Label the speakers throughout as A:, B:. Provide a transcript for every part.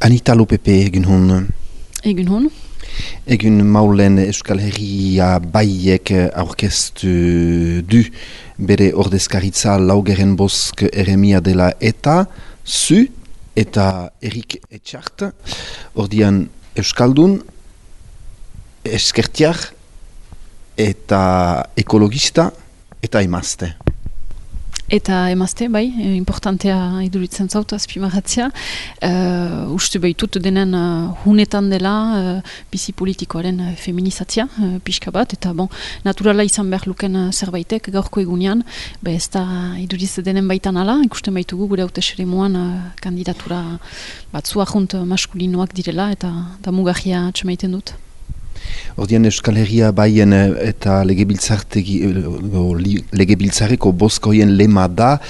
A: Anita Lopepe egin hon.
B: Egun hon.
A: Egun maulen Euskal Herria baiek aurkeztu du bere ordezkaritza Laugeren Bosk eremia dela eta zu eta Erik Etxart. Ordian Euskaldun, eskertiar eta ekologista eta emazte.
B: Eta emazte, bai, importantea iduritzen zautu azpimarratzea. Uste behitut denen hunetan dela bizi politikoaren feminizatzea, pixka bat, eta naturala izan behar luken zerbaitek gaurko egunean, ez da iduriz denen baitan ala, ikusten baitugu gure hautesremoan kandidatura batzu ahunt maskulinoak direla, eta mugarria atxemaiten dut.
A: Ordian Euskal Herria baien eta legebiltzarreko bozkoien lema da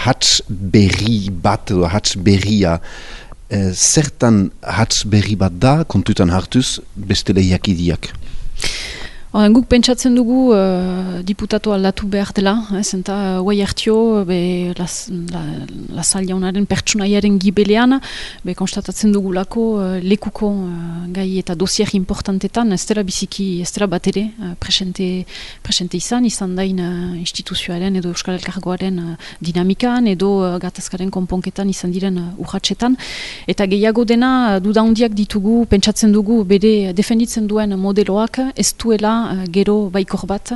A: hats berri bat edo hats berria. Zertan hats berri bat da, kontutan hartuz, beste lehiakidiak?
B: Guk pentsatzen dugu diputatu aldatu behar dela, zenta guai hartio Lasal jaunaren pertsonaiaren gibelean, konstatatzen dugulako lekuko gai eta dosier importantetan, ez dela biziki, ez dela bat ere presente izan dain instituzioaren edo Euskal Elkargoaren dinamikan edo gatazkaren konponketan izan diren urratsetan, eta gehiago dena dudaundiak ditugu, pentsatzen dugu bere defenditzen duen modeloak ez duela gero baikor bat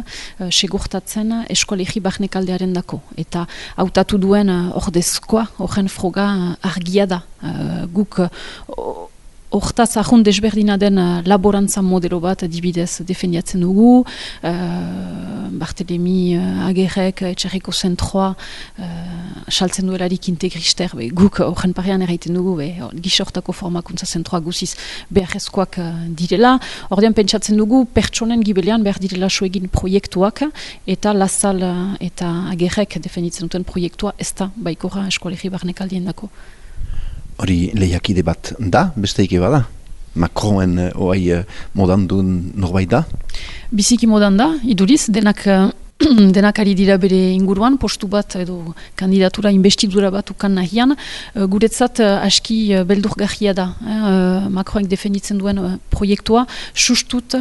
B: segurtatzen eskolegi barnekaldearen dako. Eta hautatu duen ordezkoa, horren froga argia da. Guk hortaz ahun desberdina den laborantza modelo bat dibidez defendiatzen dugu. Bartelemi Agerrek, Etxerriko Zentroa saltzen duelarik integrister, guk horren parean erraiten dugu, gizortako formakuntza zentroa guziz beharrezkoak direla. Ordean pentsatzen dugu pertsonen gibelean behar direla soegin proiektuak, eta Lasal eta Agerrek defenditzen duten proiektua ez da baikorra eskolegi barnekaldien dako.
A: Hori lehiakide bat da, besteik bada? Macronen oai modan duen norbait da?
B: Biziki modan da, iduriz, denak ari dira bere inguruan, postu bat edo kandidatura investidura bat ukan nahian, guretzat aski beldurgarria da. Macronek defenditzen duen proiektua, sustut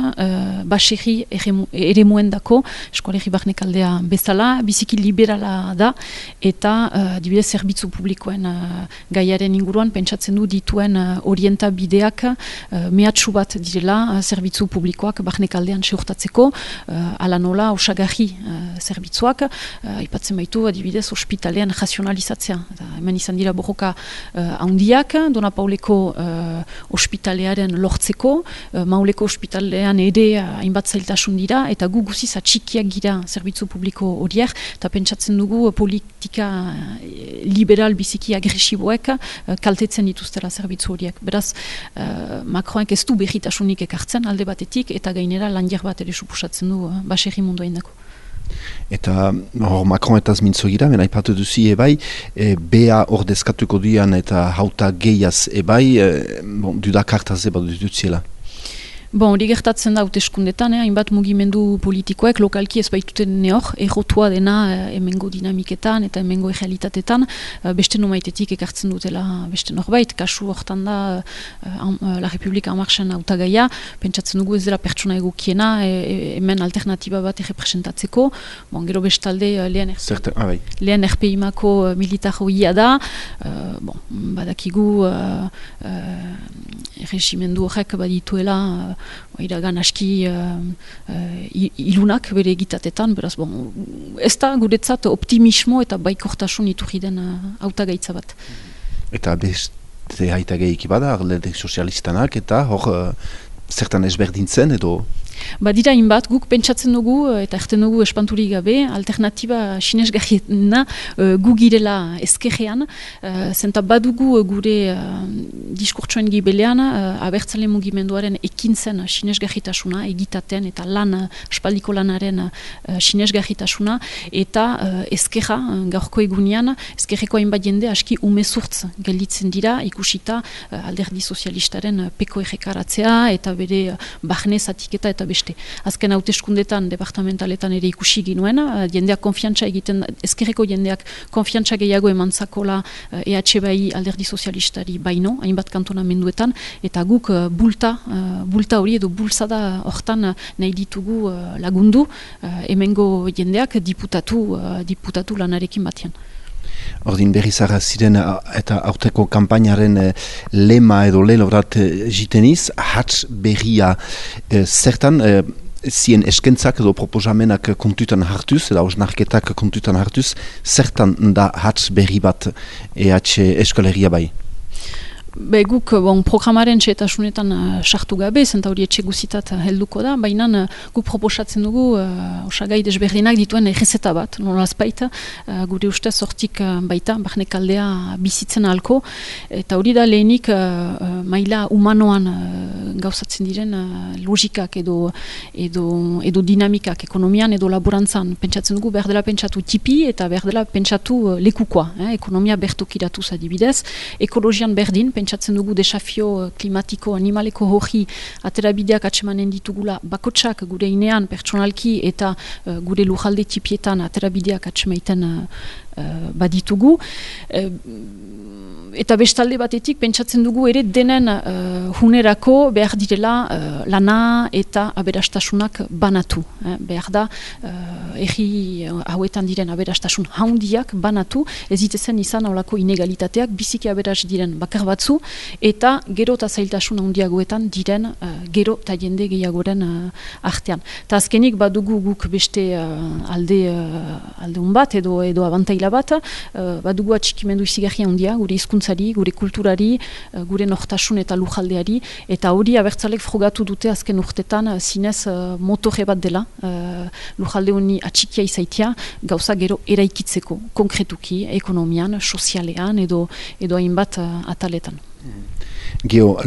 B: baserri ere dako, eskolegi barnekaldea bezala, biziki liberala da, eta dibidez zerbitzu publikoen gaiaren inguruan, pentsatzen du dituen orientabideak mehatxu bat direla zerbitzu publikoak barnekaldean seurtatzeko, ala nola osagarri zerbitzuak, aipatzen baitu adibidez ospitalean razionalizatzea. Hemen izan dira borroka handiak, Dona Pauleko ospitalearen lortzeko, Mauleko ospitalean ere hainbat zailtasun dira, eta gu guziz atxikiak gira zerbitzu publiko horiek, eta pentsatzen dugu politika liberal biziki agresiboek kaltetzen dituztela zerbitzu horiek. Beraz, Macronek ez du berritasunik ekartzen alde batetik, eta gainera landiar bat ere suposatzen du baserri munduain dako.
A: Eta Macron eta mintzo gira, mena ipatu duzi ebai, bea ordezkatuko dian eta hauta gehiaz ebai, dudak hartaz eba dutziela.
B: Hori gertatzen da hauteskundetan, hainbat mugimendu politikoek lokalki ez baituten neor, errotua dena hemengo dinamiketan eta hemengo errealitatetan, beste nomaitetik ekartzen dutela beste norbait, kasu hortan da La Republika Amarxen hautagaia, pentsatzen dugu ez dela pertsona egokiena, hemen alternatiba bat errepresentatzeko, gero bestalde lehen RPI-mako militar hoia da, badakigu erregimendu horrek badituela iragan aski ilunak bere egitatetan, beraz, ez da guretzat optimismo eta baikortasun iturri den hautagaitza bat.
A: Eta beste hautagaik bada, alderdi sozialistanak, eta hor zertan ezberdintzen edo?
B: Badira inbat, guk pentsatzen dugu eta erten dugu espanturik gabe, alternatiba sinesgarriena gu girela ezkerrean, zenta badugu gure diskurtsoen gibelean abertzale mugimenduaren ekintzen sinesgarritasuna, egitaten eta espaldiko lanaren sinesgarritasuna, eta ezkerra gaurko egunean, ezkerreko hainbat jende aski umezurtz gelditzen dira, ikusita alderdi sozialistaren peko errekaratzea eta bere barne zatiketa eta beste. Azken hauteskundetan departamentaletan ere ikusi ginuen, jendeak konfiantza egiten, ezkerreko jendeak konfiantza gehiago emantzakola EH bai alderdi sozialistari baino, hainbat hainbat kantonamenduetan, eta guk bulta hori edo bultzada hortan nahi ditugu lagundu, hemengo jendeak diputatu lanarekin batean.
A: Ordin berri zara ziren eta aurteko kampainaren lema edo lelorat jiteniz, hats berria zertan zien eskentzak edo proposamenak kontutan hartuz, edo osnarketak kontutan hartuz, zertan da hats berri bat Euskal Herria bai?
B: Guk programaren txetasunetan sartu gabe, zenta hori etxe guzitat helduko da, baina guk proposatzen dugu osagai desberdinak dituen errezeta bat, nolaz baita, gure ustez hortik baita, barnek aldea bizitzen ahalko, eta hori da lehenik maila humanoan gauzatzen diren logikak edo dinamikak ekonomian edo laborantzan pentsatzen dugu behar dela pentsatu tipi eta behar dela pentsatu lekukoa, ekonomia bertokiratuz adibidez, ekologian berdin, pentsatzen dugu desafio klimatiko animaleko hori aterabideak atsemanen ditugula bakotsak gure inean pertsonalki eta gure lujalde tipietan aterabideak atsemaiten baditugu. Eta bestalde batetik pentsatzen dugu ere denen hunerako behar direla lana eta aberastasunak banatu. Behar da erri hauetan diren aberastasun haundiak banatu, ez ditezen izan haulako inegalitateak biziki aberas diren bakar batzu eta gero eta zailtasun haundiagoetan diren gero eta jende gehiagoren artean. Ta azkenik badugu guk beste aldeun bat edo abantaila bat, badugu atxikimendu izigarria handia gure hizkuntzari, gure kulturari, gure nortasun eta lujaldeari, eta hori abertzalek frogatu dute azken urtetan zinez motore bat dela, lujalde honi atxikia izaitia, gauza gero eraikitzeko, konkretuki, ekonomian, sozialean edo hainbat ataletan.
A: Geo,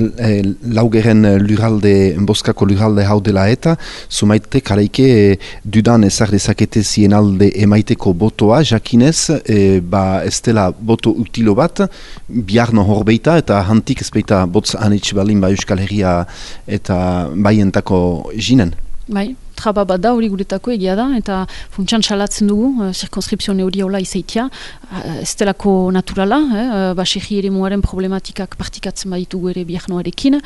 A: laugeren lurralde, boskako lurralde hau dela eta, zumaite karaike dudan ezar dezakete zien alde emaiteko botoa, jakinez, ez dela boto utilo bat, biarno horbeita eta hantik ezpeita botz anitz balin ba Euskal Herria eta baientako jinen.
B: Bai, traba bat da hori guretako egia da, eta funtsan salatzen dugu, zirkonskripzio hori hola izaitia, ez delako naturala, baserri ere muaren problematikak partikatzen baditugu ere biarnoarekin,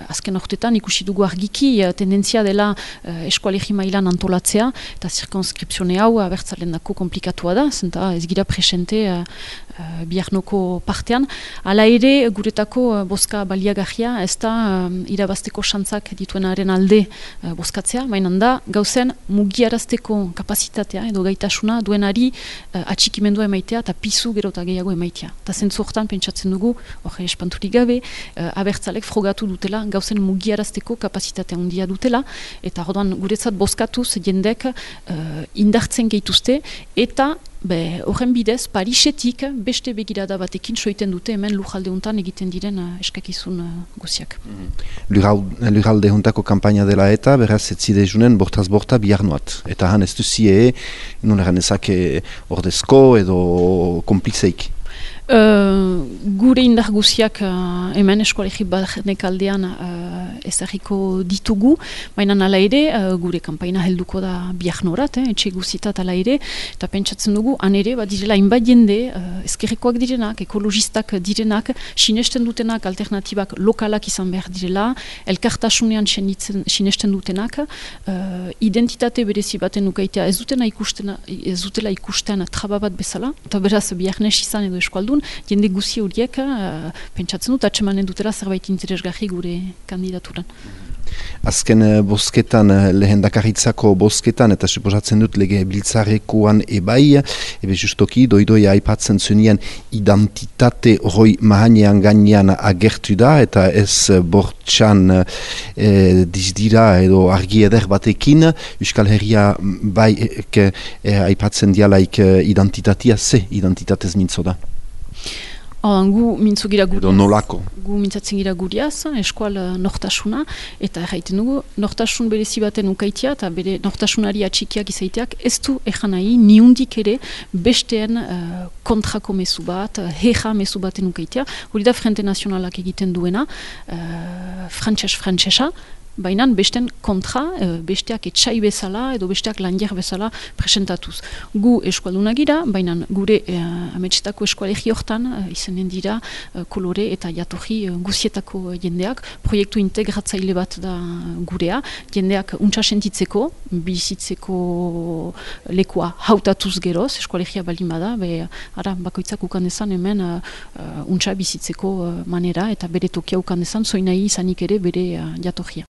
B: azken ortetan ikusi dugu argiki, tendentzia dela eskualegi mailan antolatzea, eta zirkonskripzio hau abertzalen dako komplikatua da, zenta ez gira presente biarnoko partean. Hala ere, guretako boska baliagarria, ez da irabazteko xantzak dituenaren alde boskatzea, baina da gauzen mugiarazteko kapazitatea edo gaitasuna duenari atxikimendua emaitea eta pizu gero eta gehiago emaitea. Eta zentzu hortan pentsatzen dugu, hori espanturik gabe, abertzalek frogatu dutela gauzen mugiarazteko kapazitatea handia dutela, eta orduan guretzat boskatuz jendek indartzen gehituzte, eta horren bidez, Parisetik beste begirada batekin soiten dute hemen lujalde hontan egiten diren eskakizun guziak.
A: Lujalde hontako kampaina dela eta beraz etzide junen bortaz borta biarnoat. Eta han ez duzie, nuneran ezake ordezko edo komplizeik.
B: Gure indar guziak hemen eskolegi barnek aldean ezagiko ditugu, baina ala ere gure kanpaina helduko da biarnorat, etxe guzitat ala ere, eta pentsatzen dugu, han ere, direla hainbat jende, ezkerrekoak direnak, ekologistak direnak, sinesten dutenak, alternatibak lokalak izan behar direla, elkartasunean sinesten dutenak, identitate berezi baten ukaitea ez dutela ikusten traba bat bezala, eta beraz biarnes izan edo eskualdun, jende guzi horiek pentsatzen dut atsemanen dutela zerbait interesgarri gure kandidaturan.
A: Azken bozketan, lehendakaritzako bozketan, eta suposatzen dut lege biltzarekoan ebai, justoki doidoia aipatzen zunien identitate hori mahanean gainean agertu da, eta ez bortxan dizdira edo argi eder batekin, Euskal Herria bai aipatzen dialaik identitatea, ze identitatez mintzo da?
B: Gu
A: mintzatzen
B: gira guriaz, eskual nortasuna, eta erraiten dugu, nortasun berezi baten ukaitia, eta bere nortasunari atxikiak izaiteak, ez du ejan nahi, niundik ere, besteen kontrako mezu bat, heja mezu baten ukaitia, hori da Frente Nazionalak egiten duena, frantxesa, baina besten kontra, besteak etxai bezala edo besteak landier bezala presentatuz. Gu eskualduna gira, baina gure ametsetako eskualegi hortan izanen dira kolore eta jatorri guzietako jendeak, proiektu integratzaile bat da gurea, jendeak untsa sentitzeko, bizitzeko lekua hautatuz geroz, eskualegia baldin bada, bakoitzak ukan dezan hemen untsa bizitzeko manera eta bere tokia ukan dezan, zoinai izanik ere bere jatorria.